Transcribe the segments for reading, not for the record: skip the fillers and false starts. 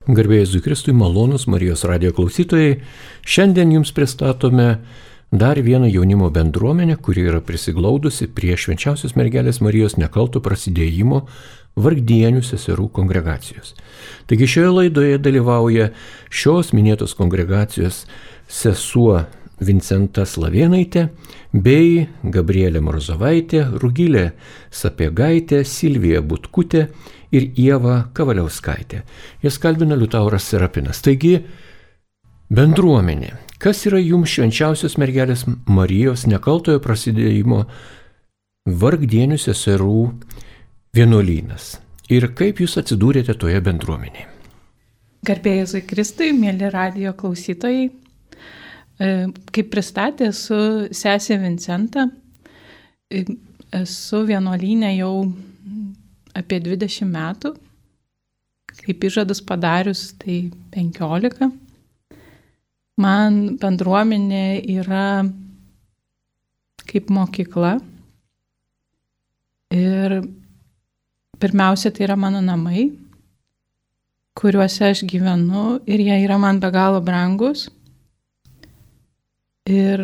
Garbė Jėzui Kristui, malonūs Marijos radijo klausytojai, šiandien jums pristatome dar vieną jaunimo bendruomenę, kuri yra prisiglaudusi prie Švenčiausios Mergelės Marijos nekalto prasidėjimo Vargdienių seserų kongregacijos. Taigi šioje laidoje dalyvauja šios minėtos kongregacijos sesuo Vincenta Slavėnaitė bei Gabrielė Morzovaitė, Rugilė Sapiegaitė, Silvija Butkutė ir Ieva Kavaliauskaitė. Jas kalbina Liutauras Serapinas. Taigi, bendruomenė. Kas yra jums Švenčiausios Mergelės Marijos nekaltojo prasidėjimo Vargdienių seserų vienuolynas? Ir kaip jūs atsidūrėte toje bendruomenėje? Garbė Jėzui Kristui, mėly radijo klausytojai. Kaip pristatė, esu sesė Vincenta. Esu vienuolyne jau apie 20 metų. Kaip įžadus padarius, tai 15. Man bendruomenė yra kaip mokykla. Ir pirmiausia, tai yra mano namai, kuriuose aš gyvenu ir jie yra man be galo brangus. Ir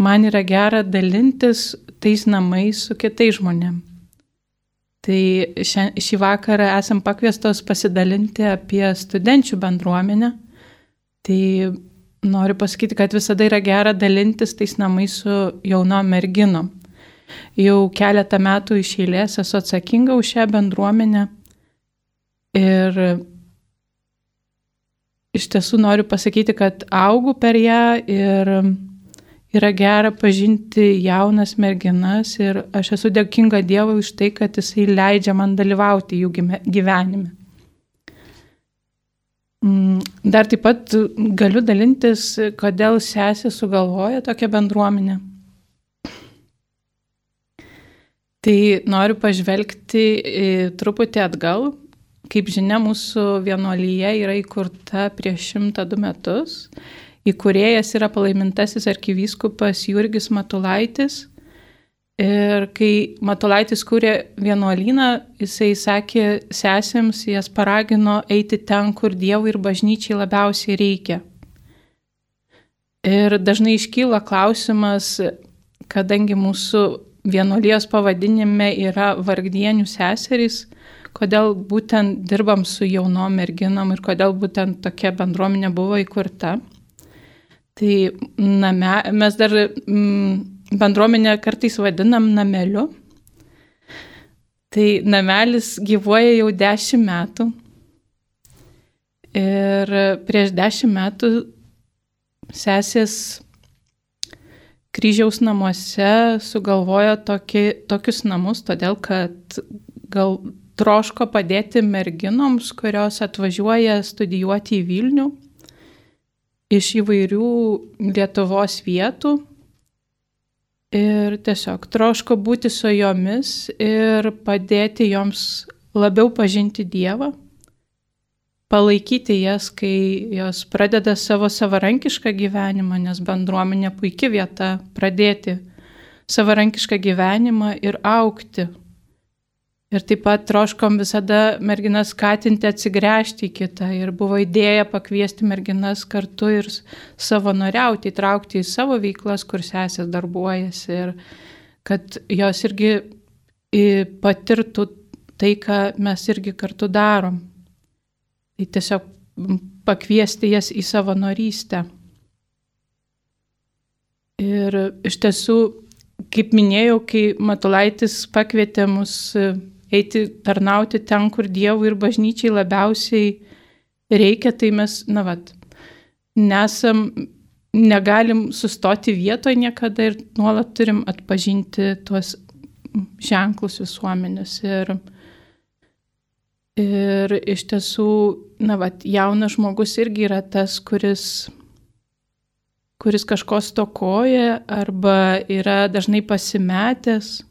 man yra gera dalintis tais namais su kitais žmonėm. Tai šį vakarą esam pakviestos pasidalinti apie studenčių bendruomenę. Tai noriu pasakyti, kad visada yra gera dalintis tais namais su jaunom merginom. Jau keletą metų iš eilės esu atsakinga už šią bendruomenę. Ir iš tiesų noriu pasakyti, kad augu per ją ir yra gera pažinti jaunas merginas ir aš esu dėkinga Dievui už tai, kad Jisai leidžia man dalyvauti jų gyvenime. Dar taip pat galiu dalintis, kodėl sesė sugalvoja tokią bendruomenę. Tai noriu pažvelgti truputį atgal. Kaip žinia, mūsų vienuolyje yra įkurta prieš 102 metus. Įkūrėjas yra palaimintasis arkivyskupas Jurgis Matulaitis. Ir kai Matulaitis kūrė vienuolyną, jisai sakė sesėms, jas paragino eiti ten, kur Dievui ir bažnyčiai labiausiai reikia. Ir dažnai iškyla klausimas, kadangi mūsų vienuolijos pavadinime yra Vargdienių seserys, kodėl būtent dirbam su jaunom merginom ir kodėl būtent tokia bendruomenė buvo įkurta. Tai mes dar bendruomenę kartais vadinam nameliu. Tai namelis gyvuoja jau 10 metų. Ir prieš 10 metų sesės Kryžiaus namuose sugalvojo tokius namus, todėl kad gal troško padėti merginoms, kurios atvažiuoja studijuoti į Vilnių iš įvairių Lietuvos vietų ir tiesiog troško būti su jomis ir padėti joms labiau pažinti Dievą, palaikyti jas, kai jos pradeda savo savarankišką gyvenimą, nes bendruomenė puikia vieta pradėti savarankišką gyvenimą ir augti. Ir taip pat troškom visada merginas skatinti atsigręžti į kitą ir buvo idėja pakviesti merginas kartu ir savanoriauti, įtraukti į savo veiklas, kur sesės darbuojasi ir kad jos irgi patirtų tai, ką mes irgi kartu darom. Tai tiesiog pakviesti jas į savanorystę. Ir iš tiesų, kaip minėjau, kai Matulaitis pakvietė mus eiti tarnauti ten, kur Dievui ir bažnyčiai labiausiai reikia, tai mes, negalim sustoti vietoje niekada ir nuolat turim atpažinti tuos ženklus visuomenės. Ir iš tiesų, jaunas žmogus irgi yra tas, kuris kažko stokoja arba yra dažnai pasimetęs.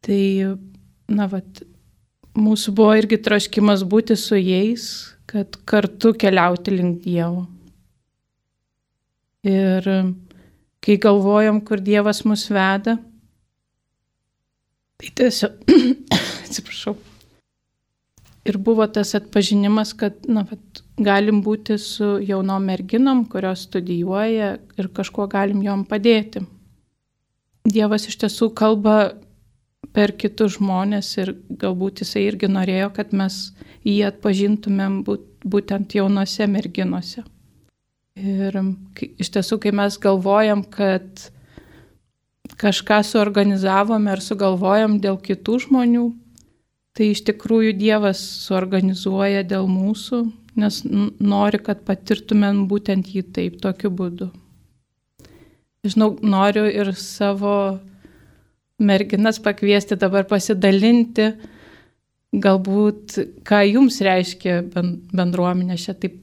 Tai, mūsų buvo irgi troškimas būti su jais, kad kartu keliauti link Dievo. Ir kai galvojom, kur Dievas mus veda, tai tiesiog, atsiprašau, ir buvo tas atpažinimas, kad galim būti su jaunom merginom, kurios studijuoja ir kažkuo galim jom padėti. Dievas iš tiesų kalba per kitus žmonės ir galbūt jisai irgi norėjo, kad mes jį atpažintumėm būtent jaunose merginose. Ir iš tiesų, kai mes galvojam, kad kažką suorganizavome ar sugalvojam dėl kitų žmonių, tai iš tikrųjų Dievas suorganizuoja dėl mūsų, nes nori, kad patirtumėm būtent jį taip, tokiu būdu. Žinau, noriu ir savo merginas pakviesti dabar pasidalinti, galbūt, ką jums reiškia bendruomenė. Čia taip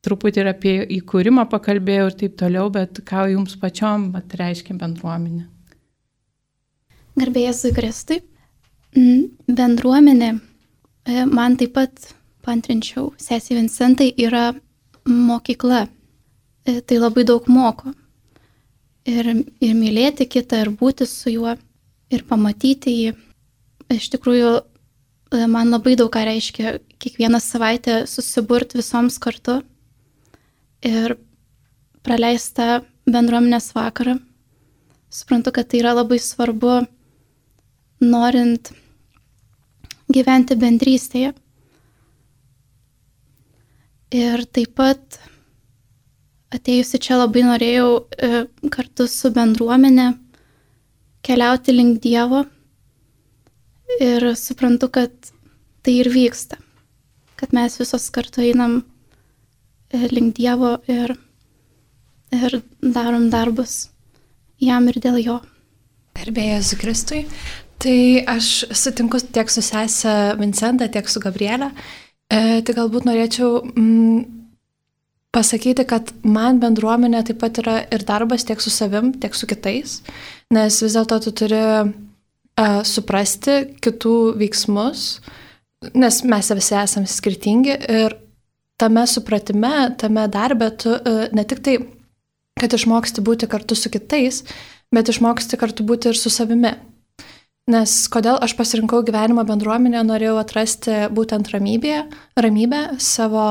truputį ir apie įkūrimą pakalbėjau ir taip toliau, bet ką jums pačiom reiškia bendruomenė. Garbė Jėzui Kristui. Bendruomenė, man taip pat paantrinčiau, sesė Vincentai, yra mokykla. Tai labai daug moko. Ir mylėti kitą, ir būti su juo, ir pamatyti jį. Iš tikrųjų, man labai daug ką reiškia kiekvieną savaitę susiburti visoms kartu ir praleistą bendruomenės vakarą. Suprantu, kad tai yra labai svarbu, norint gyventi bendrystėje. Ir taip pat atėjusi čia labai norėjau kartu su bendruomenė keliauti link Dievo ir suprantu, kad tai ir vyksta, kad mes visos kartu einam link Dievo ir darom darbus jam ir dėl jo. Garbė Jėzui Kristui. Tai aš sutinku tiek su sese Vincenta, tiek su Gabrielė. Tai galbūt norėčiau pasakyti, kad man bendruomenė taip pat yra ir darbas tiek su savim, tiek su kitais, nes vis dėlto tu turi suprasti kitų veiksmus, nes mes visi esame skirtingi ir tame supratime, tame darbe tu ne tik tai, kad išmoksti būti kartu su kitais, bet išmoksti kartu būti ir su savimi. Nes kodėl aš pasirinkau gyvenimo bendruomenę, norėjau atrasti būtent ramybę savo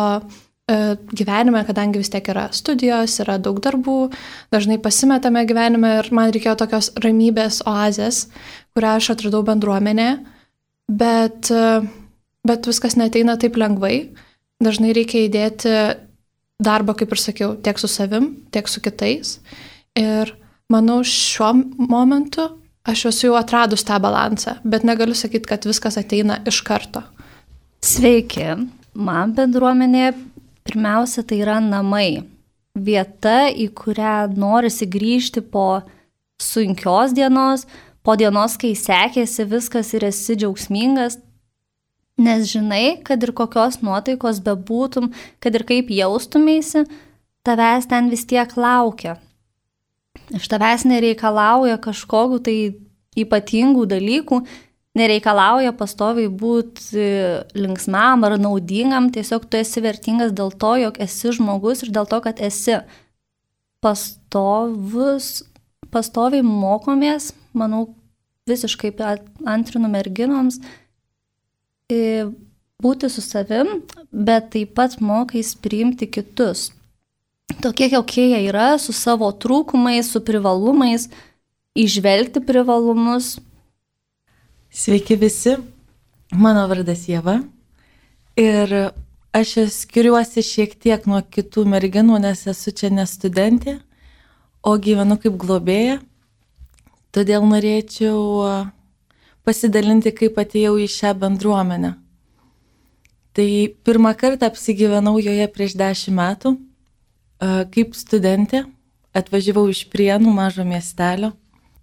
gyvenime, kadangi vis tiek yra studijos, yra daug darbų, dažnai pasimetame gyvenime ir man reikėjo tokios ramybės oazės, kurią aš atradau bendruomenėje, bet viskas neateina taip lengvai. Dažnai reikia įdėti darbą, kaip ir sakiau, tiek su savim, tiek su kitais. Ir manau, šiuo momentu aš esu jau atradus tą balansą, bet negaliu sakyti, kad viskas ateina iš karto. Sveiki, man bendruomenė pirmiausia tai yra namai. Vieta, į kurią norisi grįžti po sunkios dienos, po dienos, kai sekėsi viskas ir esi džiaugsmingas, nes žinai, kad ir kokios nuotaikos bebūtum, kad ir kaip jaustumėsi, tavęs ten vis tiek laukia. Iš tavęs nereikalauja kažkokių tai ypatingų dalykų, nereikalauja pastoviai būti linksmam ar naudingam, tiesiog tu esi vertingas dėl to, jog esi žmogus ir dėl to, kad esi pastoviai mokomės, manau, visiškai antrinu merginoms, būti su savim, bet taip pat mokais priimti kitus. Tokie, kokie jie yra, su savo trūkumais, su privalumais, įžvelgti privalumus. Sveiki visi, mano vardas Ieva ir aš skiriuosi šiek tiek nuo kitų merginų, nes esu čia ne studentė, o gyvenu kaip globėja. Todėl norėčiau pasidalinti, kaip atėjau į šią bendruomenę. Tai pirmą kartą apsigyvenau joje prieš 10 metų. Kaip studentė atvažiavau iš Prienų mažo miestelio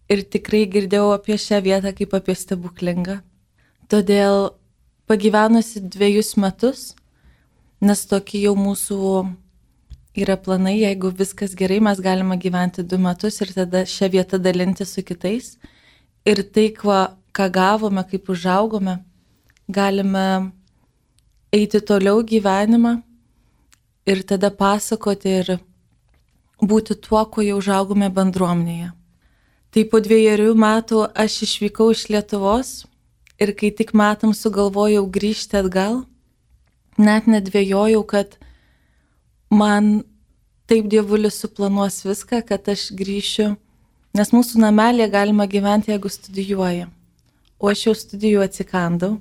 ir tikrai girdėjau apie šią vietą kaip apie stebuklingą. Todėl pagyvenusi 2 metus, nes tokie jau mūsų yra planai, jeigu viskas gerai, mes galime gyventi 2 metus ir tada šią vietą dalinti su kitais. Ir tai, ką gavome, kaip užaugome, galime eiti toliau gyvenimą ir tada pasakoti ir būti tuo, ko jau užaugome bendruomenėje. Tai po 2 metų aš išvykau iš Lietuvos ir kai tik metam sugalvojau grįžti atgal, net nedvėjojau, kad man taip Dievulis suplanuos viską, kad aš grįšiu, nes mūsų namelėje galima gyventi, jeigu studijuoji. O aš jau studijų atsikandau.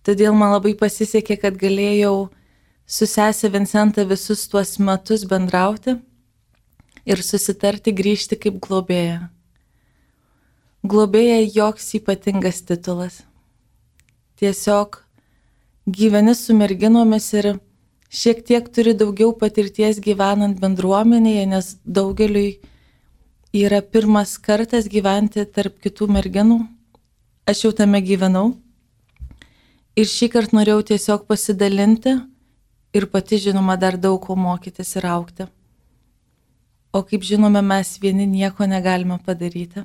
Todėl man labai pasisekė, kad galėjau su sesė Vincenta visus tuos metus bendrauti ir susitarti grįžti kaip globėja. Globėja joks ypatingas titulas. Tiesiog gyveni su merginomis ir šiek tiek turi daugiau patirties gyvenant bendruomenėje, nes daugeliui yra pirmas kartas gyventi tarp kitų merginų. Aš jau tame gyvenau. Ir šį kartą norėjau tiesiog pasidalinti ir pati, žinoma, dar daug ko mokytis ir augti. O kaip žinome, mes vieni nieko negalime padaryti.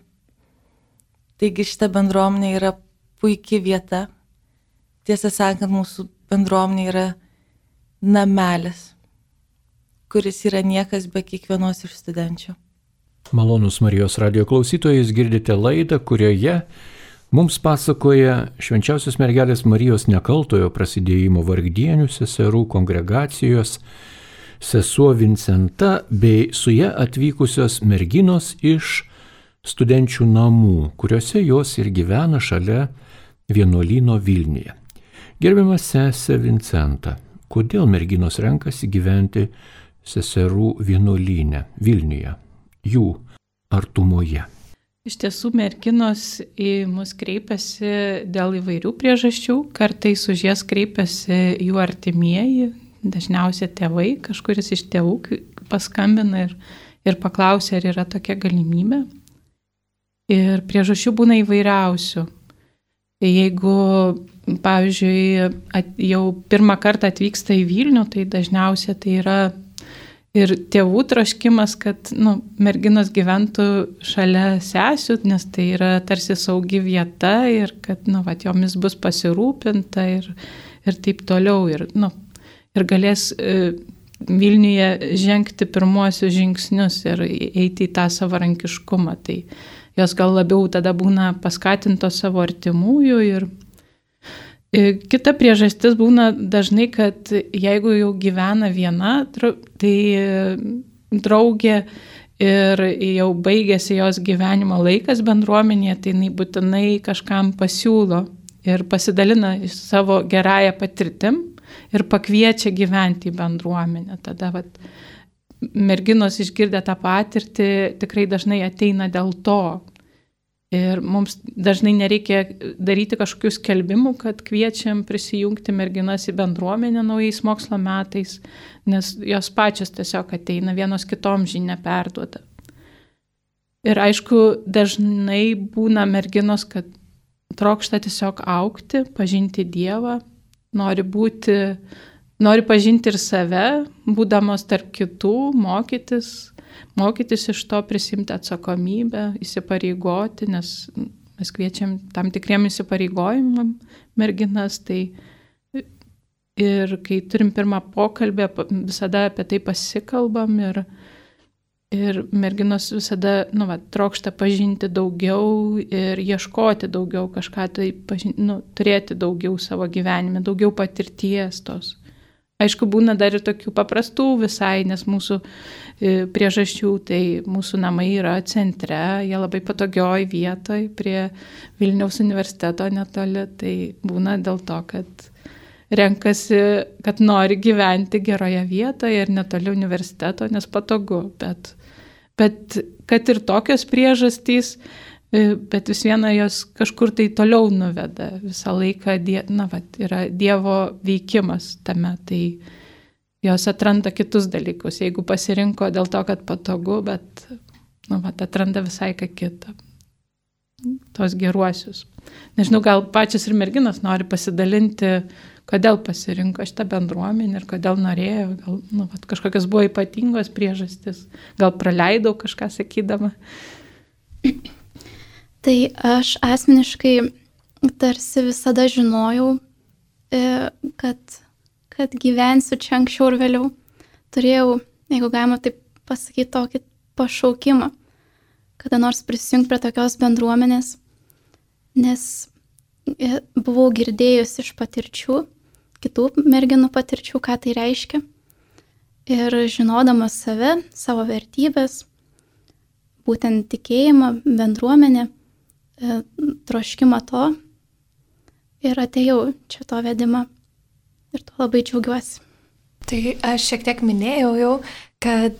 Taigi šita bendruomenė yra puikia vieta. Tiesą sakant, mūsų bendruomenė yra namelis, kuris yra niekas be kiekvienos iš studenčių. Malonus Marijos radijo klausytojai, jūs girdite laidą, kurioje mums pasakoja Švenčiausios mergelės Marijos Nekaltojo prasidėjimo vargdienių seserų kongregacijos sesuo Vincenta bei su ja atvykusios merginos iš studenčių namų, kuriuose jos ir gyvena šalia vienuolyno Vilniuje. Gerbiamas sesė Vincenta, kodėl merginos renkasi gyventi seserų vienuolyne Vilniuje, jų artumoje? Iš tiesų, merginos į mus kreipiasi dėl įvairių priežasčių. Kartais už jas kreipiasi jų artimieji, dažniausiai tėvai, kažkuris iš tėvų paskambina ir paklausia, ar yra tokia galimybė. Ir priežasčių būna įvairiausių. Jeigu, pavyzdžiui, jau pirmą kartą atvyksta į Vilnių, tai dažniausiai tai yra ir tėvų troškimas, kad merginos gyventų šalia sesių, nes tai yra tarsi saugi vieta ir kad jomis bus pasirūpinta ir taip toliau. Ir galės Vilniuje žengti pirmuosius žingsnius ir eiti į tą savarankiškumą. Tai jos gal labiau tada būna paskatintos savo artimųjų. Ir kita priežastis būna dažnai, kad jeigu jau gyvena viena, tai draugė ir jau baigėsi jos gyvenimo laikas bendruomenėje, tai jinai būtinai kažkam pasiūlo ir pasidalina savo gerąją patirtim ir pakviečia gyventi į bendruomenę. Tada merginos išgirdę tą patirtį tikrai dažnai ateina dėl to. Ir mums dažnai nereikia daryti kažkokių skelbimų, kad kviečiam prisijungti merginas į bendruomenę naujais mokslo metais, nes jos pačios tiesiog ateina, vienos kitom žinia perduoda. Ir aišku, dažnai būna merginos, kad trokšta tiesiog augti, pažinti Dievą, nori pažinti ir save, būdamos tarp kitų, mokytis iš to, prisimti atsakomybę, įsipareigoti, nes mes kviečiam tam tikriem įsipareigojimam merginas. Tai ir kai turim pirmą pokalbį, visada apie tai pasikalbam ir merginos visada trokšta pažinti daugiau ir ieškoti daugiau kažką, tai turėti daugiau savo gyvenime, daugiau patirties tos. Aišku, būna dar ir tokių paprastų visai, nes mūsų priežasčių, tai mūsų namai yra centre, jie labai patogioj vietoj prie Vilniaus universiteto netoli, tai būna dėl to, kad renkasi, kad nori gyventi geroje vietoje ir netoli universiteto, nes patogu, bet kad ir tokios priežastys, bet vis viena jos kažkur tai toliau nuveda. Visą laiką yra Dievo veikimas tame, tai jos atranda kitus dalykus. Jeigu pasirinko dėl to, kad patogu, bet atranda visai ką kitą. Tos geruosius. Nežinau, gal pačios ir merginos nori pasidalinti, kodėl pasirinko šitą bendruomenę ir kodėl norėjo, gal kažkokios buvo ypatingos priežastis, gal praleidau kažką sakydama. Tai aš asmeniškai tarsi visada žinojau, kad gyvensiu čia anksčiau ir vėliau. Turėjau, jeigu galima taip pasakyti, tokį pašaukimą, kada nors prisijungti prie tokios bendruomenės, nes buvau girdėjusi iš patirčių, kitų merginų patirčių, ką tai reiškia. Ir žinodamas save, savo vertybės, būtent tikėjimą, bendruomenę, troškimą to, ir atėjau čia to vedimą. Ir to labai džiaugiuosi. Tai aš šiek tiek minėjau jau, kad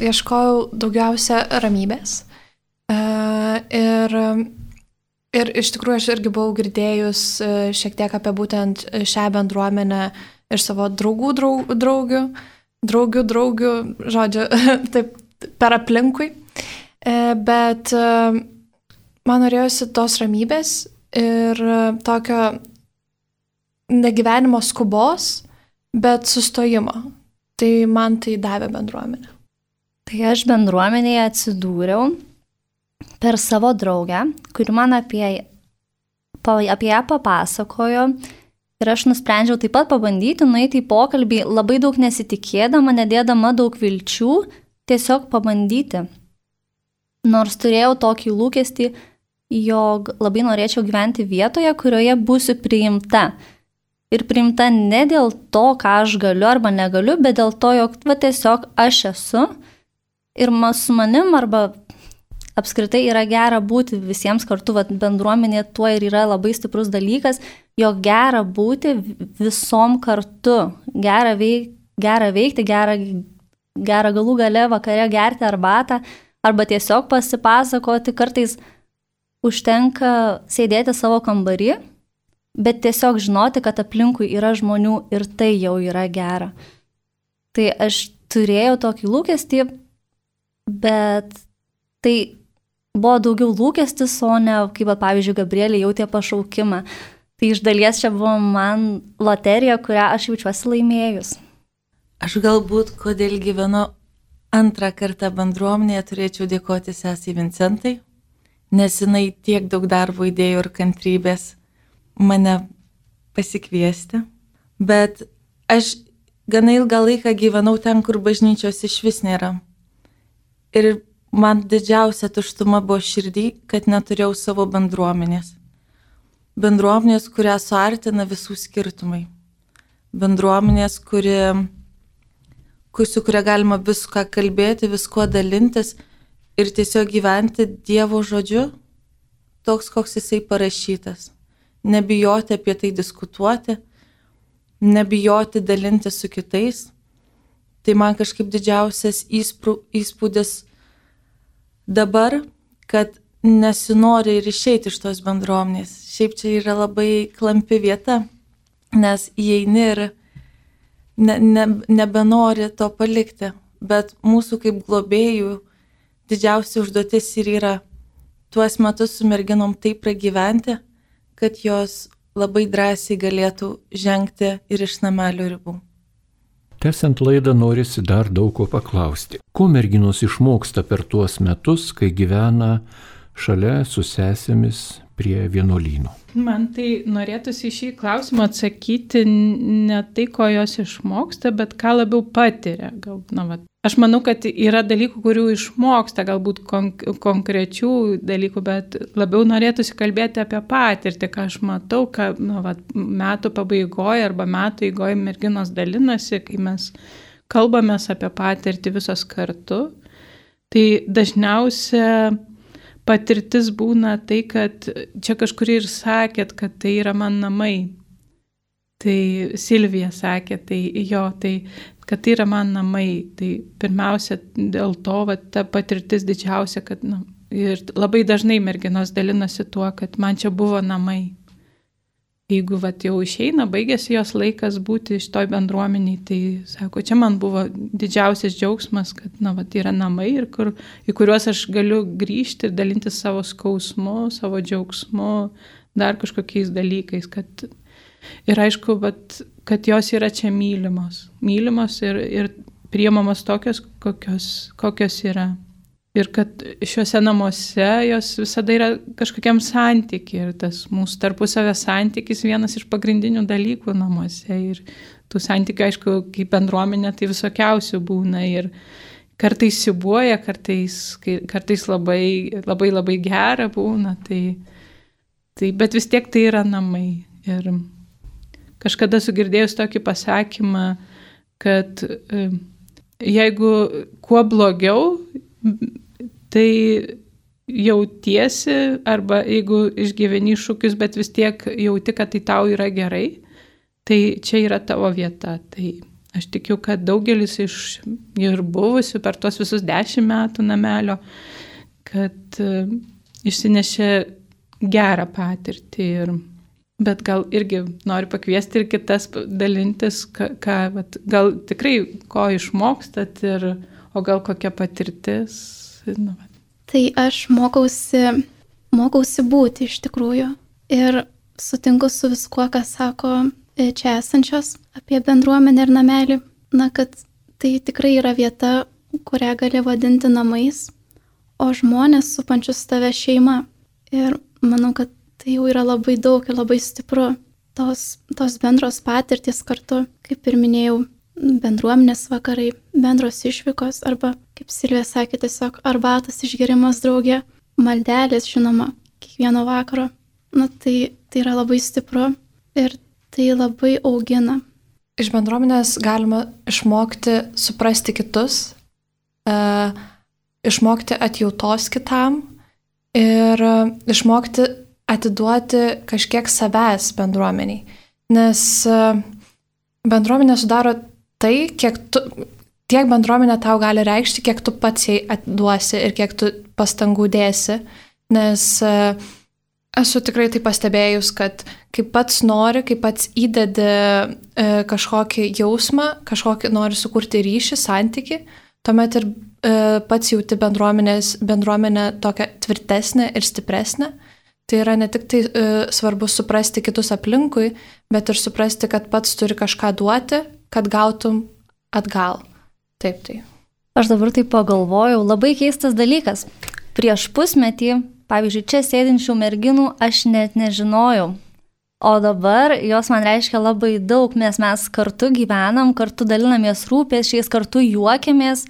ieškojau daugiausia ramybės. Ir iš tikrųjų aš irgi buvau girdėjus šiek tiek apie būtent šią bendruomenę iš savo draugių, žodžiu, taip per aplinkui. Bet man norėjosi tos ramybės ir tokio negyvenimo skubos, bet sustojimo. Tai man tai davė bendruomenė. Tai aš bendruomenėje atsidūriau per savo draugę, kuri man apie ją papasakojo. Ir aš nusprendžiau taip pat pabandyti nueiti į pokalbį, labai daug nesitikėdama, nedėdama daug vilčių, tiesiog pabandyti. Nors turėjau tokį lūkestį, jog labai norėčiau gyventi vietoje, kurioje būsiu priimta. Ir priimta ne dėl to, ką aš galiu arba negaliu, bet dėl to, jog tiesiog aš esu. Ir su manim arba apskritai yra gera būti visiems kartu, bendruomenė tuo ir yra labai stiprus dalykas, jog gera būti visom kartu, gera veikti, gera galų gale vakare gerti arbatą, arba tiesiog pasipasakoti, kartais užtenka sėdėti savo kambarį, bet tiesiog žinoti, kad aplinkui yra žmonių ir tai jau yra gera. Tai aš turėjau tokį lūkestį, bet tai buvo daugiau lūkestis, o ne, kaip pavyzdžiui, Gabrielė jautė pašaukimą. Tai iš dalies čia buvo man loterija, kurią aš jaučiuosi laimėjus. Aš galbūt, kodėl gyvenu antrą kartą bendruomenėje, turėčiau dėkoti sesei Vincentai, nes jinai tiek daug darbo įdėjo ir kantrybės mane pasikviesti. Bet aš gana ilgą laiką gyvenau ten, kur bažnyčios iš vis nėra. Ir man didžiausia tuštuma buvo širdį, kad neturėjau savo bendruomenės. Bendruomenės, kurią suartina visų skirtumai. Bendruomenės, su kuria galima viską kalbėti, viskuo dalintis ir tiesiog gyventi Dievo žodžiu, toks, koks jisai parašytas. Nebijoti apie tai diskutuoti, nebijoti dalinti su kitais. Tai man kažkaip didžiausias įspūdis dabar, kad nesinori ir išeiti iš tos bendruomenės. Šiaip čia yra labai klampi vieta, nes įeini ir nebenori to palikti. Bet mūsų kaip globėjų didžiausia užduotis ir yra tuos metus su merginom taip pragyventi, kad jos labai drąsiai galėtų žengti ir iš namelio ribų. Tęsiant laidą norisi dar daug ko paklausti. Ko merginos išmoksta per tuos metus, kai gyvena šalia su sesėmis prie vienuolyno? Man tai norėtųsi į šį klausimą atsakyti ne tai, ko jos išmoksta, bet ką labiau patiria. Aš manau, kad yra dalykų, kurių išmoksta, galbūt konkrečių dalykų, bet labiau norėtųsi kalbėti apie patirtį, ką aš matau, kad metų pabaigoje arba metų eigoje merginos dalinasi, kai mes kalbamės apie patirtį visos kartu. Tai dažniausia patirtis būna tai, kad čia kažkur ir sakėt, kad tai yra man namai. Tai Silvija sakė, kad tai yra man namai. Tai pirmiausia dėl to, ta patirtis didžiausia, kad ir labai dažnai merginos dalinasi tuo, kad man čia buvo namai. Jeigu jau išeina, baigėsi jos laikas būti šitoj bendruomeniai, tai sako, čia man buvo didžiausias džiaugsmas, kad yra namai, į kuriuos aš galiu grįžti ir dalintis savo skausmu, savo džiaugsmu, dar kažkokiais dalykais. Ir aišku, kad jos yra čia mylimos ir priimamos tokios, kokios yra. Ir kad šiuose namuose jos visada yra kažkokiam santykiai. Ir tas mūsų tarpusavio santykis vienas iš pagrindinių dalykų namuose. Ir tų santykių, aišku, kaip bendruomenė, tai visokiausių būna. Ir kartais siubuoja, kartais labai gera būna. Bet vis tiek tai yra namai. Ir kažkada sugirdėjus tokį pasakymą, kad jeigu kuo blogiau, tai jautiesi, arba jeigu išgyveni iššūkius, bet vis tiek jauti, kad tai tau yra gerai, tai čia yra tavo vieta. Tai aš tikiu, kad daugelis iš ir buvusių per tuos visus 10 metų namelio, kad išsinešė gerą patirtį. Bet gal irgi noriu pakviesti ir kitas dalintis, gal tikrai ko išmokstat, o gal kokia patirtis. Tai aš mokausi būti iš tikrųjų ir sutinku su viskuo, ką sako čia esančios apie bendruomenę ir namelį. Kad tai tikrai yra vieta, kurią gali vadinti namais, o žmonės supančius tave šeima. Ir manau, kad tai jau yra labai daug ir labai stipru. Tos bendros patirtys kartu, kaip ir minėjau, bendruomenės vakarai, bendros išvykos arba, kaip Silvija sakė, tiesiog arbatos išgerimas drauge, maldelės, žinoma, kiekvieno vakaro. Tai yra labai stipru ir tai labai augina. Iš bendruomenės galima išmokti suprasti kitus, išmokti atjautos kitam ir išmokti atiduoti kažkiek savęs bendruomeniai. Nes bendruomenė sudaro tai, tiek bendruomenė tau gali reikšti, kiek tu pats jai atiduosi ir kiek tu pastangų dėsi. Nes esu tikrai tai pastebėjus, kad kai pats nori, kai pats įdedi kažkokį jausmą, kažkokį nori sukurti ryšį, santykį, tuomet ir pats jauti bendruomenę tokią tvirtesnę ir stipresnę. Tai yra ne tik tai svarbu suprasti kitus aplinkui, bet ir suprasti, kad pats turi kažką duoti, kad gautum atgal. Taip. Aš dabar taip pagalvojau, labai keistas dalykas. Prieš pusmetį, pavyzdžiui, čia sėdinčių merginų aš net nežinojau. O dabar jos man reiškia labai daug, nes mes kartu gyvenam, kartu dalinamės rūpesčiais, kartu juokiamės.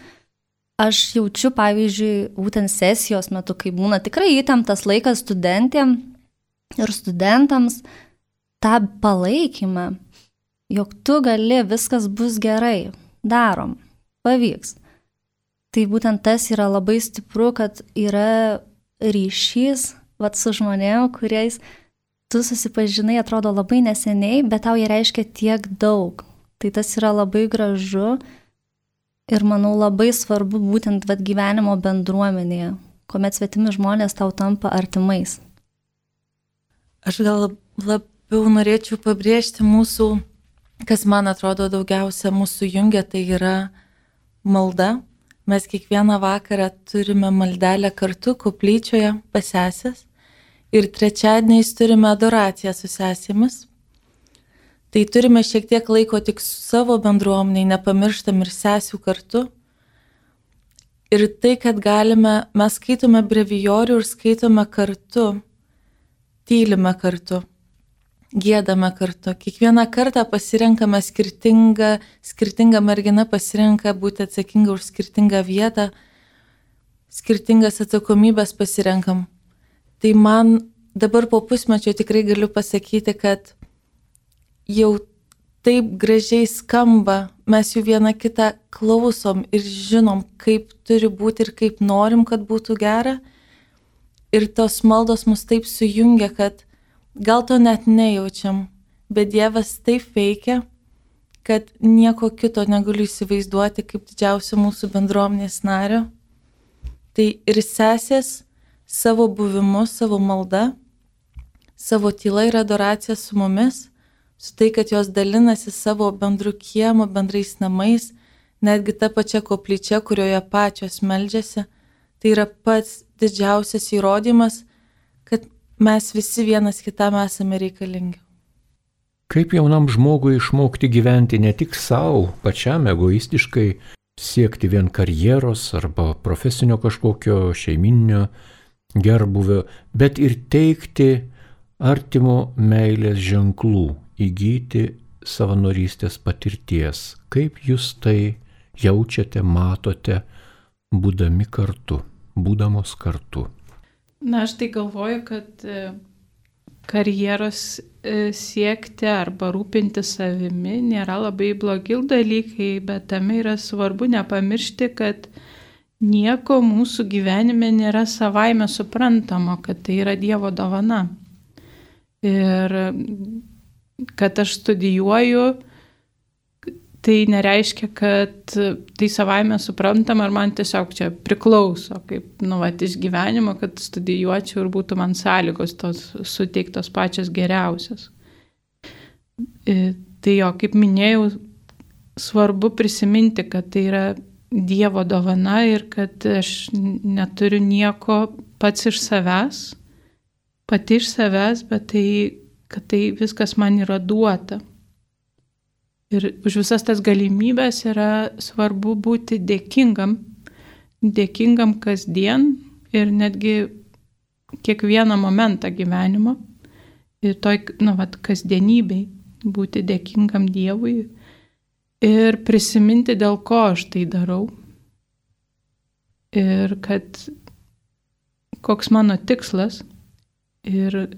Aš jaučiu, pavyzdžiui, būtent sesijos metu, kai būna tikrai įtemptas laikas studentėm ir studentams, tą palaikymą, jog tu gali, viskas bus gerai, darom, pavyks. Tai būtent tas yra labai stipru, kad yra ryšys su žmonėm, kuriais tu susipažinai, atrodo labai neseniai, bet tau jie reiškia tiek daug. Tai tas yra labai gražu. Ir manau labai svarbu būtent gyvenimo bendruomenėje, kuomet svetimi žmonės tau tampa artimais. Aš gal labiau norėčiau pabrėžti mūsų, kas man atrodo daugiausia mūsų jungia, tai yra malda. Mes kiekvieną vakarą turime maldelę kartu koplyčioje pas sesės ir trečiadieniais turime adoraciją su sesėmis. Tai turime šiek tiek laiko tik su savo bendruomeniai, nepamirštam ir sesių kartu. Ir tai, kad mes skaitome brevijorių ir skaitome kartu, tylime kartu, giedame kartu. Kiekvieną kartą pasirenkame skirtinga mergina pasirenka būti atsakinga už skirtingą vietą, skirtingas atsakomybės pasirenkam. Tai man dabar po pusmečio tikrai galiu pasakyti, kad jau taip gražiai skamba, mes jų vieną kitą klausom ir žinom, kaip turi būti ir kaip norim, kad būtų gera. Ir tos maldos mus taip sujungia, kad gal to net nejaučiam, bet Dievas taip veikia, kad nieko kito negaliu įsivaizduoti kaip didžiausio mūsų bendruomenės nario. Tai ir sesės savo buvimu, savo malda, savo tyla ir adoracija su mumis, su tai, kad jos dalinasi savo bendru kiemu, bendrais namais, netgi ta pačia koplyčia, kurioje pačios meldžiasi, tai yra pats didžiausias įrodymas, kad mes visi vienas kitam esame reikalingi. Kaip jaunam žmogui išmokti gyventi ne tik savo, pačiam egoistiškai, siekti vien karjeros arba profesinio kažkokio šeiminio gerbuvio, bet ir teikti artimo meilės ženklų, įgyti savanorystės patirties. Kaip jūs tai jaučiate, matote, būdami kartu, būdamos kartu? Na, aš tai galvoju, kad karjeros siekti arba rūpinti savimi nėra labai blogi dalykai, bet tame yra svarbu nepamiršti, kad nieko mūsų gyvenime nėra savaime suprantamo, kad tai yra Dievo dovana. Ir kad aš studijuoju, tai nereiškia, kad tai savaime suprantama ar man tiesiog čia priklauso, kaip iš gyvenimo, kad studijuočiau ir būtų man sąlygos tos suteiktos pačios geriausios. Tai jo, kaip minėjau, svarbu prisiminti, kad tai yra Dievo dovana ir kad aš neturiu nieko pats iš savęs, pati iš savęs, bet kad tai viskas man yra duota. Ir už visas tas galimybės yra svarbu būti dėkingam kasdien ir netgi kiekvieną momentą gyvenimo. Ir toj, kasdienybei būti dėkingam Dievui ir prisiminti, dėl ko aš tai darau. Ir kad koks mano tikslas. Ir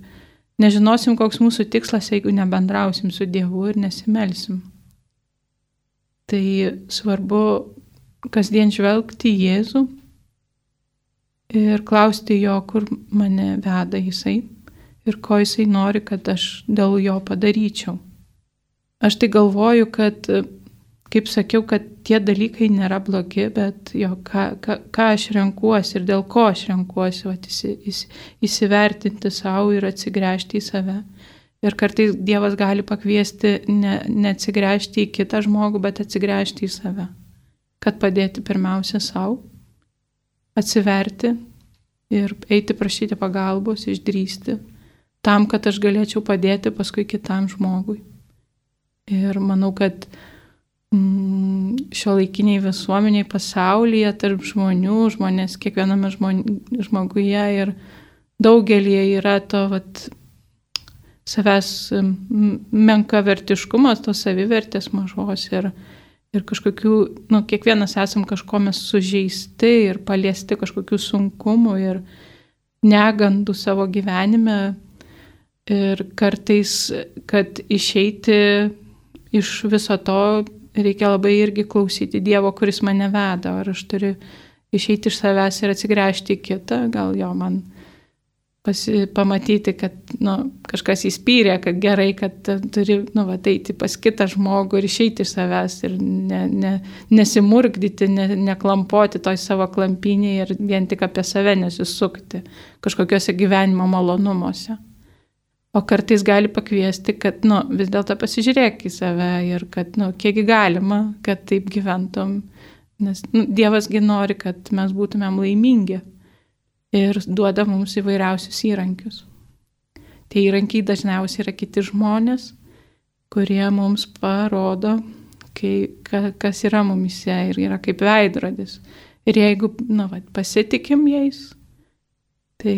nežinosim, koks mūsų tikslas, jeigu nebendrausim su Dievu ir nesimelsim. Tai svarbu kasdien žvelgti į Jėzų ir klausti jo, kur mane veda jisai ir ko jisai nori, kad aš dėl jo padaryčiau. Aš tai galvoju, kad, kaip sakiau, kad tie dalykai nėra blogi, bet ką aš renkuosi ir dėl ko aš renkuosi, įsivertinti savo ir atsigręžti į save. Ir kartais Dievas gali pakviesti neatsigręžti į kitą žmogų, bet atsigręžti į save. Kad padėti pirmiausia savo, atsiverti ir eiti prašyti pagalbos, išdrįsti, tam, kad aš galėčiau padėti paskui kitam žmogui. Ir manau, kad šiuolaikiniai visuomeniai pasaulyje, tarp žmonių, žmonės kiekviename žmoguje ir daugelį yra to savęs menkavertiškumas, tos savivertės mažos ir kažkokių, kiekvienas esam kažko mes sužeisti ir paliesti kažkokių sunkumų ir negandų savo gyvenime ir kartais, kad išeiti iš viso to reikia labai irgi klausyti Dievo, kuris mane veda, ar aš turiu išeiti iš savęs ir atsigręžti į kitą, gal jo man pamatyti, kad kažkas įspyrė, kad gerai, kad turi eiti pas kitą žmogų ir išeiti iš savęs ir nesimurkdyti, neklampoti toj savo klampynėje ir vien tik apie save nesisukti kažkokiuose gyvenimo malonumuose. O kartais gali pakviesti, kad vis dėlto pasižiūrėk į save ir kad kiek galima, kad taip gyventum, nes Dievasgi nori, kad mes būtumėm laimingi. Ir duoda mums įvairiausius įrankius. Tie įrankiai dažniausiai yra kiti žmonės, kurie mums parodo, kas yra mumise ir yra kaip veidrodis. Ir jeigu pasitikim jais, tai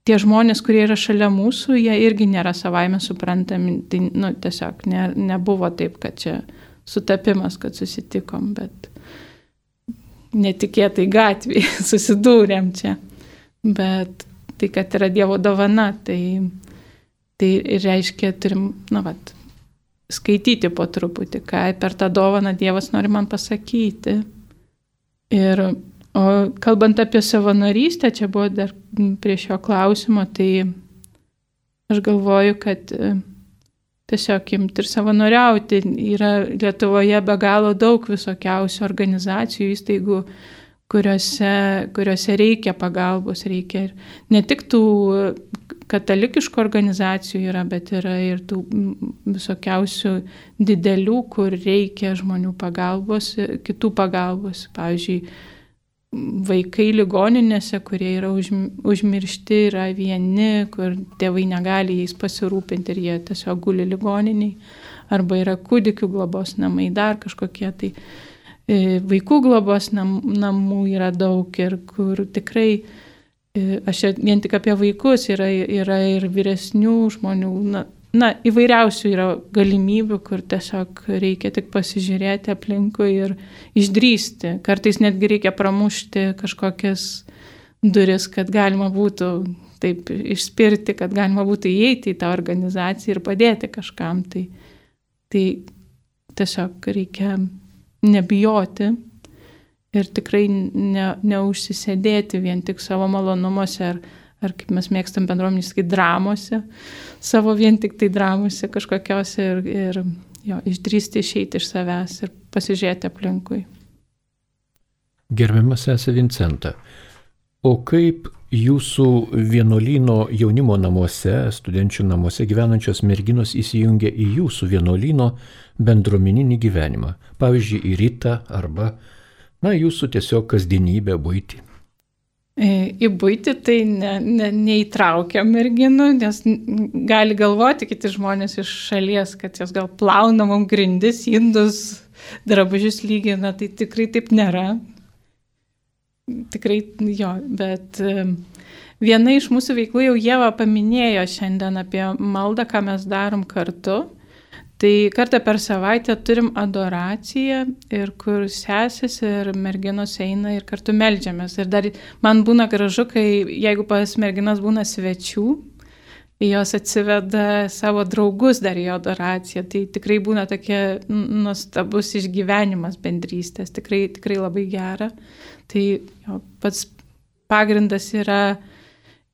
tie žmonės, kurie yra šalia mūsų, jie irgi nėra savaime suprantami. Tai tiesiog nebuvo taip, kad čia sutapimas, kad susitikom, bet netikėtai gatvėje susidūrėm čia, bet tai, kad yra Dievo dovana, tai reiškia, turim, skaityti po truputį, ką per tą dovaną Dievas nori man pasakyti. O kalbant apie savanorystę, čia buvo dar prie šio klausimo, tai aš galvoju, kad tiesiog imti ir savanoriauti. Yra Lietuvoje be galo daug visokiausių organizacijų, įstaigų, kuriuose reikia pagalbos, reikia ir ne tik tų katalikiškų organizacijų yra, bet yra ir tų visokiausių didelių, kur reikia žmonių pagalbos, kitų pagalbos. Pavyzdžiui, vaikai ligoninėse, kurie yra užmiršti, yra vieni, kur tėvai negali jais pasirūpinti ir jie tiesiog guli ligoniniai, arba yra kūdikių globos namai, dar kažkokie tai vaikų globos namų yra daug ir kur tikrai, aš vien tik apie vaikus, yra ir vyresnių žmonių, įvairiausių yra galimybių, kur tiesiog reikia tik pasižiūrėti aplinkui ir išdrįsti. Kartais netgi reikia pramušti kažkokias duris, kad galima būtų taip išspirti, kad galima būtų įeiti į tą organizaciją ir padėti kažkam. Tai tiesiog reikia nebijoti ir tikrai neužsisėdėti vien tik savo malonumuose ar kaip mes mėgstam bendruomenės, kai dramose, savo vien tik tai dramose kažkokiose ir išdrįsti išeiti iš savęs ir pasižiūrėti aplinkui. Gerbiamas sesė Vincenta, o kaip jūsų vienuolyno jaunimo namuose, studenčių namuose gyvenančios merginos įsijungia į jūsų vienuolyno bendruomeninį gyvenimą? Pavyzdžiui, į rytą arba, jūsų tiesiog kasdienybę, buitį. Į buitį tai neįtraukia merginų, nes gali galvoti kiti žmonės iš šalies, kad jos gal plauna mums grindis, indus, drabužius lygina, tai tikrai taip nėra. Tikrai bet viena iš mūsų veiklų jau Ieva paminėjo šiandien apie maldą, ką mes darom kartu. Tai kartą per savaitę turim adoraciją ir kur sesės ir merginos eina ir kartu meldžiamės. Ir dar man būna gražu, jeigu pas merginas būna svečių, jos atsiveda savo draugus dar į adoraciją. Tai tikrai būna tokia nuostabus išgyvenimas bendrystės, tikrai labai gera. Tai pats pagrindas yra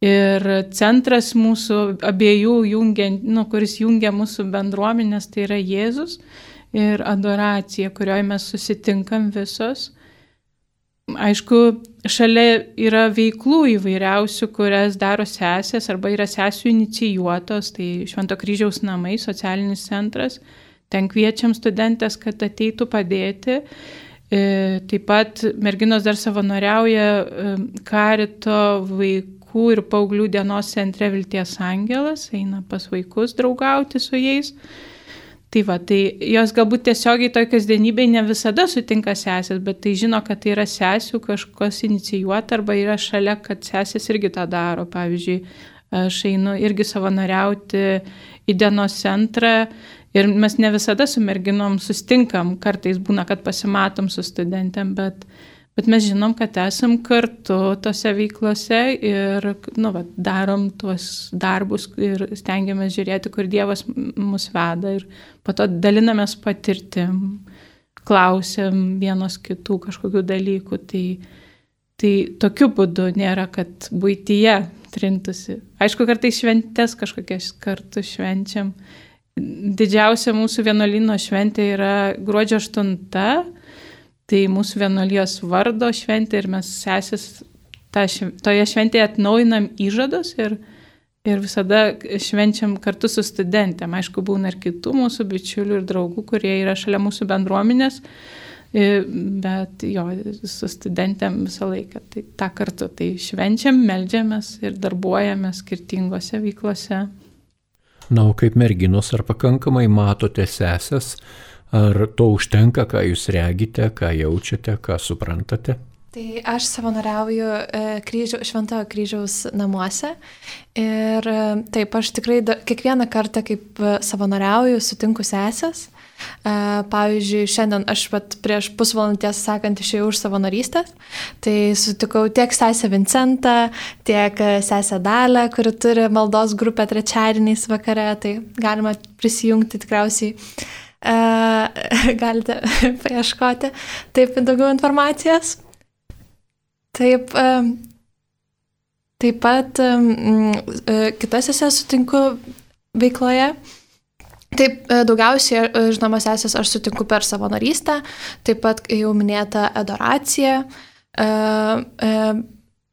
ir centras mūsų abiejų kuris jungia mūsų bendruomenės, tai yra Jėzus ir adoracija, kurioje mes susitinkam visos. Aišku, šalia yra veiklų įvairiausių, kurias daro sesės arba yra sesių inicijuotos, tai Švento Kryžiaus namai, socialinis centras. Ten kviečiam studentės, kad ateitų padėti. Taip pat merginos dar savanoriauja Karito vaikų ir paauglių dienos centre Vilties angelas, eina pas vaikus draugauti su jais. Tai jos galbūt tiesiogiai toj kasdienybėj ne visada sutinka sesės, bet tai žino, kad tai yra sesių kažkas inicijuota arba yra šalia, kad sesės irgi tą daro. Pavyzdžiui, aš einu irgi savanoriauti į dienos centrą ir mes ne visada su merginom sustinkam, kartais būna, kad pasimatom su studentėm, bet mes žinom, kad esam kartu tose veiklose ir darom tuos darbus ir stengiamės žiūrėti, kur Dievas mus veda ir po to dalinamės patirtim, klausiam vienos kitų kažkokių dalykų. Tai tokiu būdu nėra, kad buityje trintusi. Aišku, kartais šventės kažkokias kartu švenčiam. Didžiausia mūsų vienuolyno šventė yra gruodžio 8. Tai mūsų vienuolijos vardo šventė ir mes sesės toje šventėje atnaujinam įžadus ir visada švenčiam kartu su studentėm. Aišku, būna ir kitų mūsų bičiulių ir draugų, kurie yra šalia mūsų bendruomenės, bet su studentėm visą laiką. Tai tą kartu švenčiam, meldžiamės ir darbuojamės skirtingose veiklose. O kaip merginos, ar pakankamai matote sesės? Ar to užtenka, ką jūs regite, ką jaučiate, ką suprantate? Tai aš savanoriauju Šventojo Kryžiaus namuose ir taip, aš tikrai kiekvieną kartą, kaip savanoriauju, sutinku sesės. Pavyzdžiui, šiandien aš prieš pusvalandį, tiesą sakant, išėjau už savanorystės, tai sutikau tiek sesę Vincentą, tiek sesę Dalę, kuri turi maldos grupę trečiadieniais vakare, tai galima prisijungti tikriausiai. Galite paieškoti taip daugiau informacijos. Taip pat kitas sesės sutinku veikloje. Taip, daugiausiai, žinoma, sesės aš sutinku per savanorystę, taip pat jau minėta adoracija.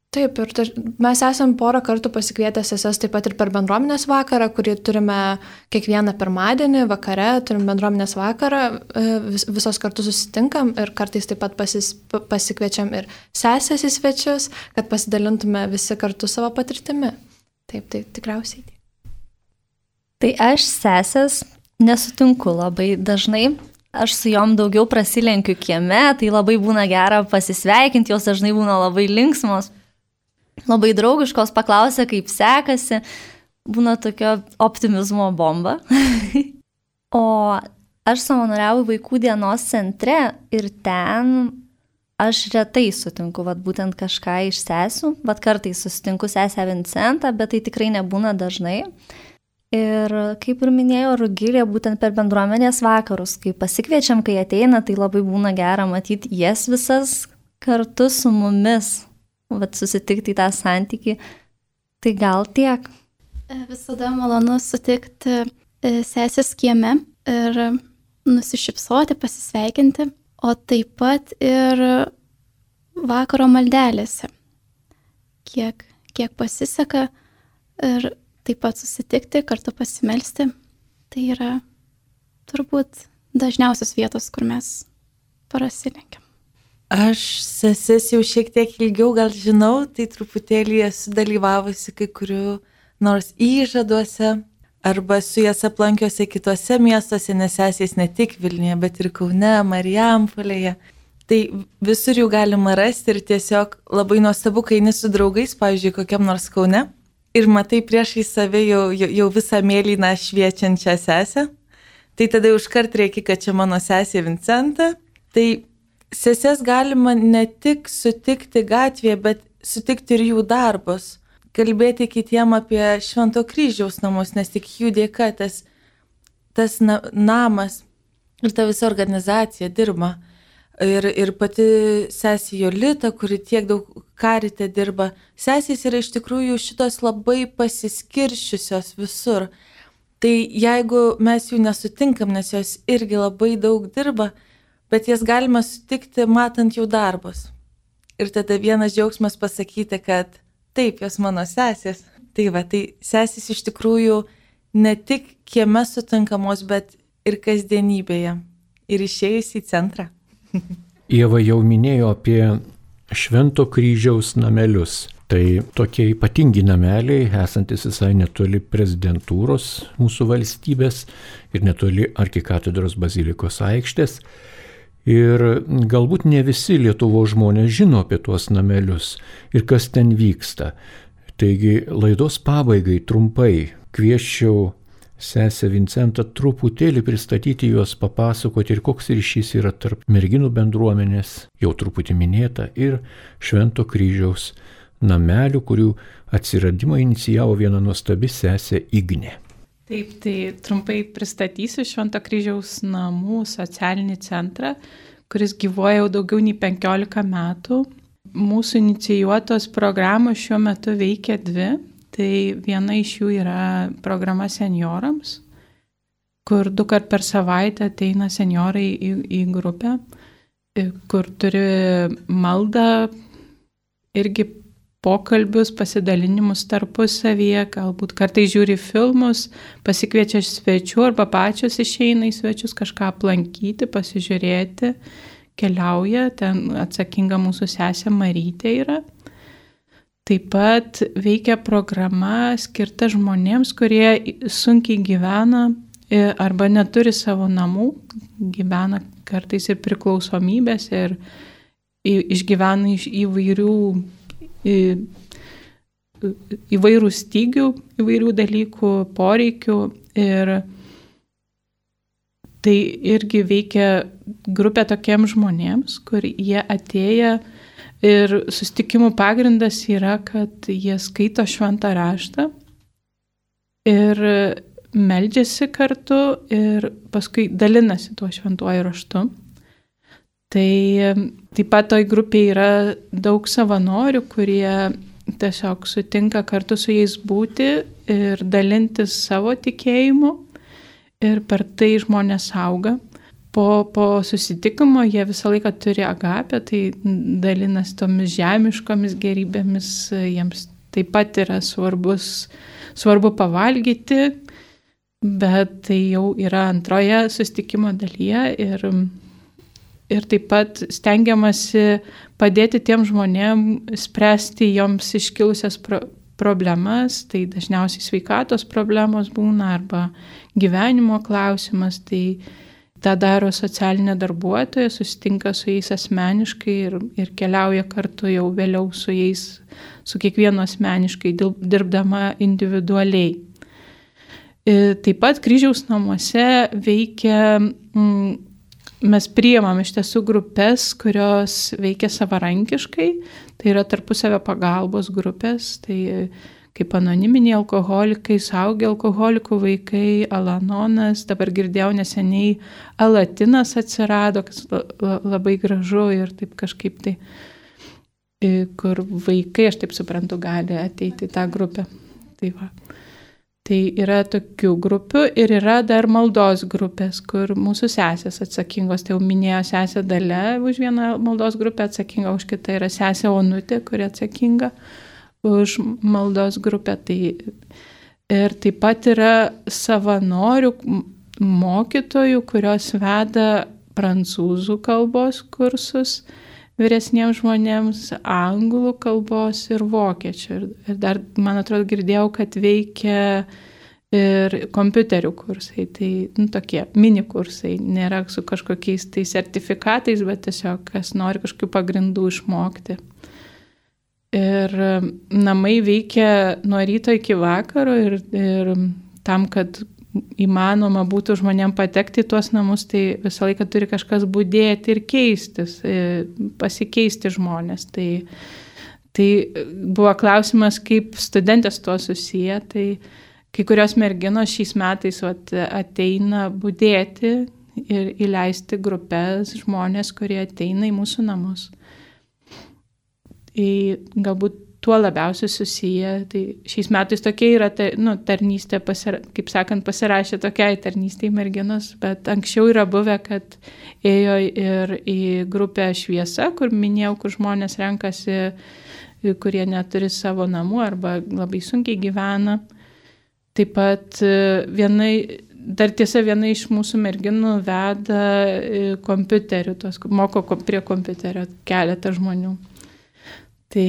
Taip, ir mes esam porą kartų pasikvietę sesės taip pat ir per bendruomenės vakarą, kurį turime kiekvieną pirmadienį vakare, turim bendruomenės vakarą, visos kartu susitinkam ir kartais taip pat pasikviečiam ir sesės į svečius, kad pasidalintume visi kartu savo patirtimi. Taip, tai tikriausiai. Tai aš sesės nesutinku labai dažnai. Aš su jom daugiau prasilenkiu kieme, tai labai būna gera pasisveikinti, jos dažnai būna labai linksmos. Labai draugiškos, paklausia, kaip sekasi, būna tokio optimizmo bomba. O aš savanoriauju vaikų dienos centre ir ten aš retai sutinku, būtent kažką iš sesių, kartais susitinku sesę Vincentą, bet tai tikrai nebūna dažnai. Ir kaip ir minėjo Rugilė, būtent per bendruomenės vakarus, kai pasikviečiam, kai ateina, tai labai būna gera matyti jas visas kartu su mumis, susitikti tą santykį. Tai gal tiek. Visada malonu sutikti sesės kieme ir nusišypsoti, pasisveikinti, o taip pat ir vakaro maldelėse. Kiek pasiseka ir taip pat susitikti, kartu pasimelsti, tai yra turbūt dažniausios vietos, kur mes prasilenkiam. Aš seses jau šiek tiek ilgiau gal žinau, tai truputėlį esu dalyvavusi kai kurių nors įžaduose, arba su jas aplankiuose kitose miestuose, nes sesės ne tik Vilniuje, bet ir Kaune, Marijampolėje. Tai visur jų galima rasti ir tiesiog labai nuostabu, kai eini su draugais, pavyzdžiui, kokiam nors Kaune, ir matai priešai save jau visą mėlyną šviečiančią sesę, tai tada užkart reikia, kad čia mano sesė Vincenta. Tai seses galima ne tik sutikti gatvėje, bet sutikti ir jų darbus, kalbėti kitiem apie Švento Kryžiaus namus, nes tik jų dėka tas namas ir ta visa organizacija dirba. Ir pati sesė Jolita, kuri tiek daug karite dirba, sesės yra iš tikrųjų šitos labai pasiskirščiusios visur. Tai jeigu mes jų nesutinkam, nes jos irgi labai daug dirba, bet jas galima sutikti matant jų darbus. Ir tada vienas džiaugsmas pasakyti, kad taip, jos mano sesės. Tai sesės iš tikrųjų ne tik kieme sutinkamos, bet ir kasdienybėje. Ir išėjus į centrą. Ieva jau minėjo apie Švento Kryžiaus namelius. Tai tokie ypatingi nameliai, esantis visai netoli prezidentūros mūsų valstybės ir netoli arkikatedros bazilikos aikštės. Ir galbūt ne visi Lietuvos žmonės žino apie tuos namelius ir kas ten vyksta. Taigi laidos pabaigai trumpai kviesčiau sesę Vincentą truputėlį pristatyti juos, papasakoti ir koks ryšys yra tarp merginų bendruomenės, jau truputį minėta, ir Švento Kryžiaus namelių, kurių atsiradimą inicijavo viena nuostabi sesė Ignė. Taip, tai trumpai pristatysiu Švento Kryžiaus namų socialinį centrą, kuris gyvuoja jau daugiau nei 15 metų. Mūsų inicijuotos programos šiuo metu veikia 2. Tai viena iš jų yra programa seniorams, kur 2 kart per savaitę ateina seniorai į grupę, kur turi maldą, irgi pokalbius, pasidalinimus tarpusavyje, galbūt kartais žiūri filmus, pasikviečia svečių arba pačios išeina į svečius kažką aplankyti, pasižiūrėti, keliauja, ten atsakinga mūsų sesė Marytė yra. Taip pat veikia programa skirta žmonėms, kurie sunkiai gyvena arba neturi savo namų, gyvena kartais ir priklausomybės ir išgyvena iš įvairių stygių, įvairių dalykų, poreikių. Ir tai irgi veikia grupė tokiems žmonėms, kur jie atėję. Ir susitikimų pagrindas yra, kad jie skaito šventą raštą ir meldžiasi kartu ir paskui dalinasi tuo šventuoju raštu. Tai taip pat toj grupėje yra daug savanorių, kurie tiesiog sutinka kartu su jais būti ir dalintis savo tikėjimu ir per tai žmonės auga. Po susitikimo jie visą laiką turi agapę, tai dalinas tomis žemiškomis gerybėmis, jiems taip pat yra svarbu pavalgyti, bet tai jau yra antroje susitikimo dalyje ir taip pat stengiamasi padėti tiem žmonėm spręsti joms iškilusias problemas, tai dažniausiai sveikatos problemos būna arba gyvenimo klausimas, tai tą daro socialinė darbuotoja, susitinka su jais asmeniškai ir keliauja kartu jau vėliau su jais, su kiekvienu asmeniškai, dirbdama individualiai. Taip pat Kryžiaus namuose veikia mes priimam iš tiesų grupės, kurios veikia savarankiškai, tai yra tarpusavio pagalbos grupės, tai kaip anoniminiai alkoholikai, suaugę alkoholikų vaikai, Alanonas, dabar girdėjau neseniai Alatinas atsirado, kas labai gražu ir taip kažkaip tai, kur vaikai, aš taip suprantu, gali ateiti į tą grupę. Tai va. Tai yra tokių grupių ir yra dar maldos grupės, kur mūsų sesės atsakingos, tai jau minėjo sesė Dalia už vieną maldos grupę atsakinga, už kitą yra sesė Onutė, kuri atsakinga už maldos grupę. Tai ir taip pat yra savanorių mokytojų, kurios veda prancūzų kalbos kursus vyresniems žmonėms, anglų kalbos ir vokiečių. Ir dar, man atrodo, girdėjau, kad veikia ir kompiuterių kursai. Tai tokie mini kursai, nėra su kažkokiais tai sertifikatais, bet tiesiog kas nori kažkokių pagrindų išmokti. Ir namai veikia nuo ryto iki vakaro ir tam, kad įmanoma būtų žmonėm patekti į tuos namus, tai visą laiką turi kažkas budėti ir keistis, pasikeisti žmonės. Tai buvo klausimas, kaip studentės tuo susiję, tai kai kurios merginos šiais metais ateina budėti ir įleisti grupės žmonės, kurie ateina į mūsų namus. Galbūt tuo labiausiai susiję. Tai šiais metais tokia yra tarnystė, kaip sakant, pasirašė tokiai tarnystei merginos, bet anksčiau yra buvę, kad ėjo ir į grupę Šviesa, kur minėjau, kur žmonės renkasi, kurie neturi savo namų arba labai sunkiai gyvena. Taip pat viena iš mūsų merginų veda kompiuterių, moko prie kompiuterio keletą žmonių. Tai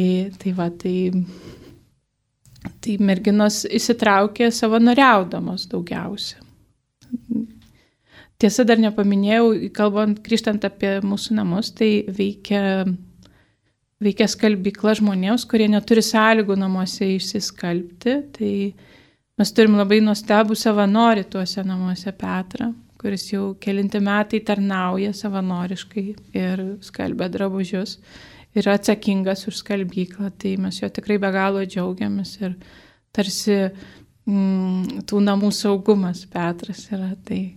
merginos įsitraukė savanoriaudamos daugiausia. Tiesa, dar nepaminėjau, grįžtant apie mūsų namus, tai veikia skalbykla žmonėms, kurie neturi sąlygų namuose išsiskalbti. Tai mes turim labai nuostabų savanorį tuose namuose, Petrą, kuris jau kelinti metai tarnauja savanoriškai ir skalbia drabužius. Yra atsakingas už skalbyklą, tai mes jo tikrai be galo džiaugiamės ir tarsi tų namų saugumas Petras yra, tai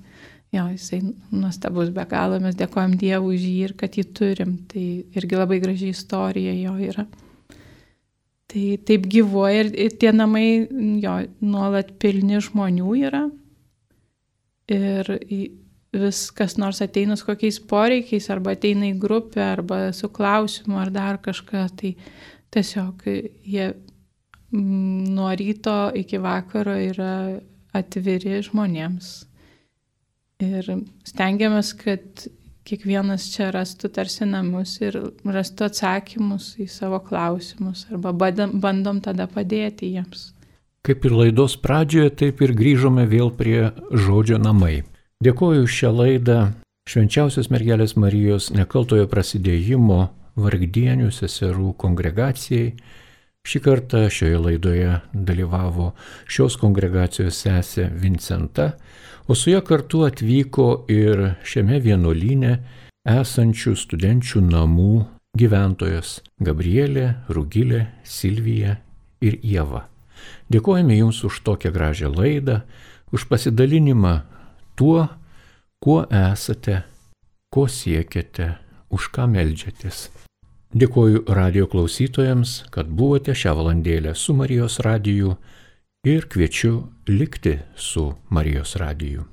jo, jisai nuostabus be galo, mes dėkojam Dievui už jį ir kad jį turim, tai irgi labai graži istorija jo yra. Tai taip gyvuoja ir tie namai jo nuolat pilni žmonių yra ir vis kas nors ateina su kokiais poreikiais, arba ateina į grupę, arba su klausimu, ar dar kažką, tai tiesiog jie nuo ryto iki vakaro yra atviri žmonėms. Ir stengiamės, kad kiekvienas čia rastų tarsi namus ir rastų atsakymus į savo klausimus, arba bandom tada padėti jiems. Kaip ir laidos pradžioje, taip ir grįžome vėl prie žodžio namai. Dėkoju šią laidą Švenčiausios mergelės Marijos nekaltojo prasidėjimo vargdienių seserų kongregacijai. Šį kartą šioje laidoje dalyvavo šios kongregacijos sesė Vincenta, o su ja kartu atvyko ir šiame vienuolyne esančių studenčių namų gyventojos Gabrielė, Rugilė, Silvija ir Ieva. Dėkojame Jums už tokią gražią laidą, už pasidalinimą tuo, kuo esate, ko siekiate, už ką meldžiatės. Dėkoju radijo klausytojams, kad buvote šią valandėlę su Marijos radiju ir kviečiu likti su Marijos radiju.